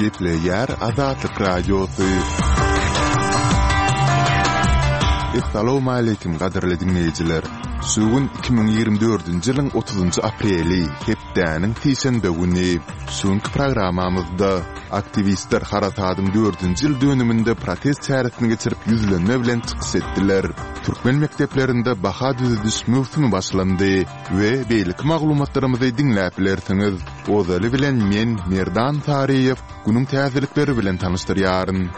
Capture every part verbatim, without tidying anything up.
Gepleýär Azatlyk Radiosy. Essalawmaleýkim gadyrly diňleýjiler! Şu gün iki müň ýigrimi dördünji ýylyň otuzynjy apreli, hepdäniň sişenbe güni. Şu günki programmamyzda aktiwistler harasadyň dördünji ýyl dönüminde protest çäresini geçirip ýüzlenme bilen çykyş etdiler. Türkmen mekdeplerinde baha düzediş möwsümi başlandy we beýleki maglumatlarymyzy diňläp bilersiňiz. Ozaly bilen men, Merdan Saryýew, günüň täzelikleri bilen tanyşdyrýaryn.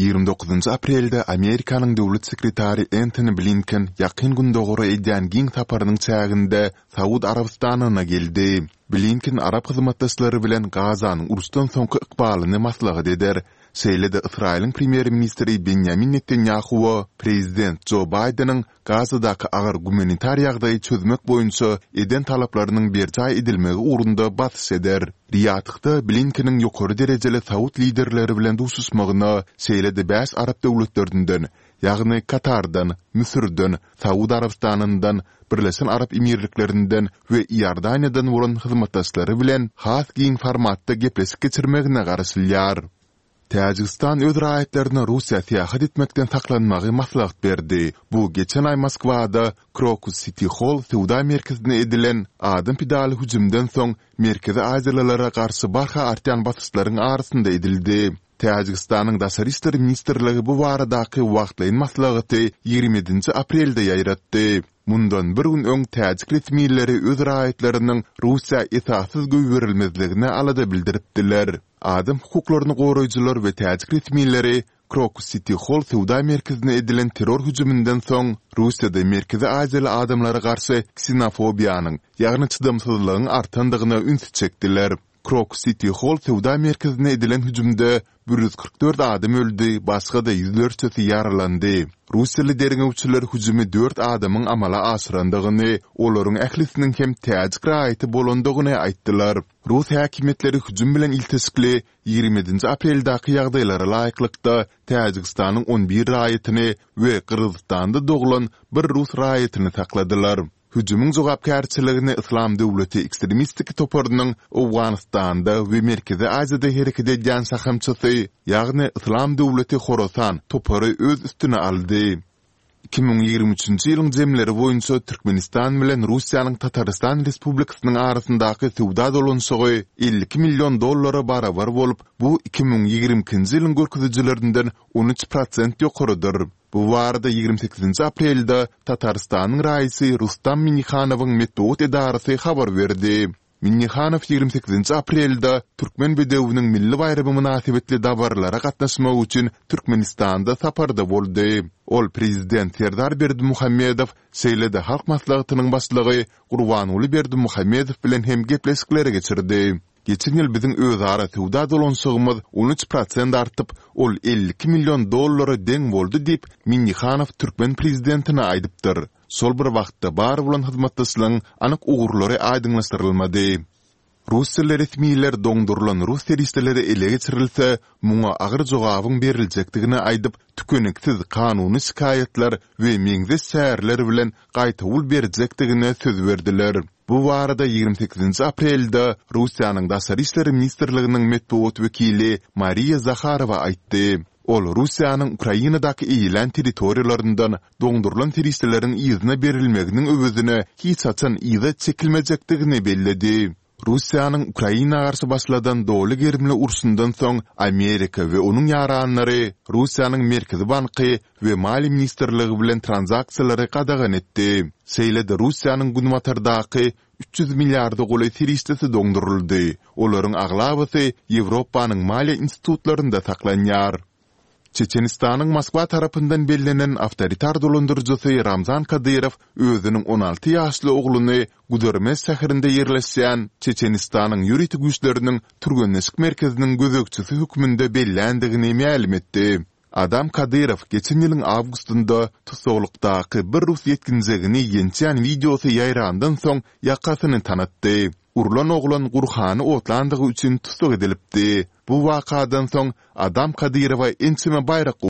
Ýigrimi dokuzynjy aprelde Amerikanyň döwlet sekretary Entoni Blinken Ýakyn Gündogara edýän giň saparynyň çäginde Saud Arabystanyna geldi. Blinken arap hyzmatdaşlary bilen Gazanyň uruşdan soňky ykbalyny maslahat eder, şeýle-de Ysraýylyň premýer-ministri Benýamin Netanýahuwa prezident Jo Baýdeniň Gazadaky agyr gumanitar ýagdaýy çözmek boýunça eden talaplarynyň berjaý edilmegi ugrunda basyş eder. Riýadhda Blinkeniň ýokary derejeli saud liderleri bilen duşuşmagyna, şeýle-de bäş arap döwletlerinden, ýagny Katardan, Müsürden, Saud Arabystanyndan, Birleşen Arap Emirliklerinden we Iordaniýadan bolan hyzmatdaşlary bilen has giň formatda gepleşik geçirmegine garaşylýar. Täjigistan öz raýatlaryna Russiýa syýahat etmekden saklanmagy maslahat berdi. Bu geçen aý Moskwada Krokus Siti Holl söwda merkezine edilen adam pidaly hüjümden soň merkezi aziýalylara garşy barha artýan basyşlaryň arasynda edildi. Täjigistanyň Daşary işler ministrligi bu baradaky wagtlaýyn maslahaty ýigrimi ýedinji aprelde ýaýratdy. Mundan bir gün öň täjik resmileri öz raýatlarynyň Russiýa esassyz goýberilmezligine alada bildiripdiler. Adam hukuklaryny goraýjylar we täjik resmileri Krokus Siti Holl söwda merkezine edilen terror hüjüminden soň Russiýada merkezi aziýaly adamlara garşy ksenofobiýanyň, ýagny çydamsyzlygyň artandygyna ünsi çekdiler. Krokus Siti Holl söwda merkezine edilen hüjümde bir ýüz kyrk dört adam öldi, başga-da ýüzlerçesi ýaralandy. Russiýaly derňewçiler hüjümi dört adamyň amala aşyrandygyny, olaryň ählisiniň hem täjik raýaty bolandygyny aýtdylar. Rus häkimiýetleri hüjüm bilen ilteşikli ýigrimi ýedinji apreldäki ýagdaýlara laýyklykda Täjigistanyň on bir raýatyny we Gyrgyzystanda doglan bir rus raýatyny sakladylar. Hüjümiň jogapkärçiligini Yslam döwleti ekstremistik toparynyň Owganystanda we Merkezi Aziýada hereket edýän şahamçasy, ýagny Yslam döwleti Horasan topary öz üstüne aldy. Iki müň ýigrimi üçünji ýylyň jemleri boýunça Türkmenistan bilen Russiýanyň Tatarystan Respublikasynyň arasyndaky söwda dolanyşygy elli iki million dollara barabar bolup, bu iki müň ýigrimi ikinji ýylyň görkezijilerinden on üç prosent ýokarydyr. Bu barada ýigrimi sekizinji aprelde Tatarystanyň raisy Rustam Minnihanowyň metbugat edarasy habar berdi. Minnihanow ýigrimi sekizinji aprelde Türkmen bedewiniň milli baýramy mynasybetli dabaralara gatnaşmak üçin Türkmenistanda saparda boldy. Ol Prezident Serdar Berdimuhamedow, şeýle-de Halk Maslahatynyň Başlygy Gurbanguly Berdimuhamedow bilen hem gepleşikleri geçirdi. Geçen ýyl biziň özara söwda dolanyşygymyz on üç prosent artyp, ol elli iki million dollara deň boldy diýip, Minnihanow türkmen prezidentine aýdypdyr. Şol bir wagtda, bar bolan hyzmatdaşlygyň anyk ugurlary aýdyňlaşdyrylmady. Russiýaly resmiler doňdurylan rus serişdeleri ele geçirilse, muňa agyr jogabyň beriljekdigini aýdyp, tükeniksiz kanuny şikaýatlar we meňzeş çäreler bilen gaýtawul berjekdigine söz berdiler. Bu barada ýigrimi sekizinji aprelde Russiýanyň Daşary işler ministrliginiň metbugat wekili Mariýa Zaharowa aýtdy. Ol Russiýanyň Ukrainadaky eýelän territoriýalaryndan doňdurylan serişdeleriň yzyna berilmeginiň öwezine hiç haçan yza çekilmejekdigini belledi. Russiýanyň Ukraina garşy başladan doly gerimli urşundan soň Amerika we onuň ýaranlary Russiýanyň Merkezi banky we Maliýe ministrligi bilen tranzaksiýalary gadagan etdi. Şeýle-de Russiýanyň günbatardaky üç ýüz milliarda golaý serişdesi doňduryldy, olaryň aglabasy Ýewropanyň maliýe institutlarynda saklanýar. Çeçenistanyň Moskwa tarapyndan bellenen awtoritar dolandyryjysy Ramzan Kadyrow özüniň on alty ýaşly ogluny Gudermes şäherinde ýerleşýän Çeçenistanyň ýörite güýçleriniň türgenleşik merkeziniň gözegçisi hökmünde belländigini mälim etdi. Adam Kadyrow geçen ýylyň awgustynda tussaglykdaky bir rus ýetginjegini ýençýän wideosy ýaýrandan soň ýakasyny tanatdy. Urlan oglan Gurhany otlandygy üçin tussag edilipdi. Bu wakadan soň Adam Kadyrowa ençeme baýrak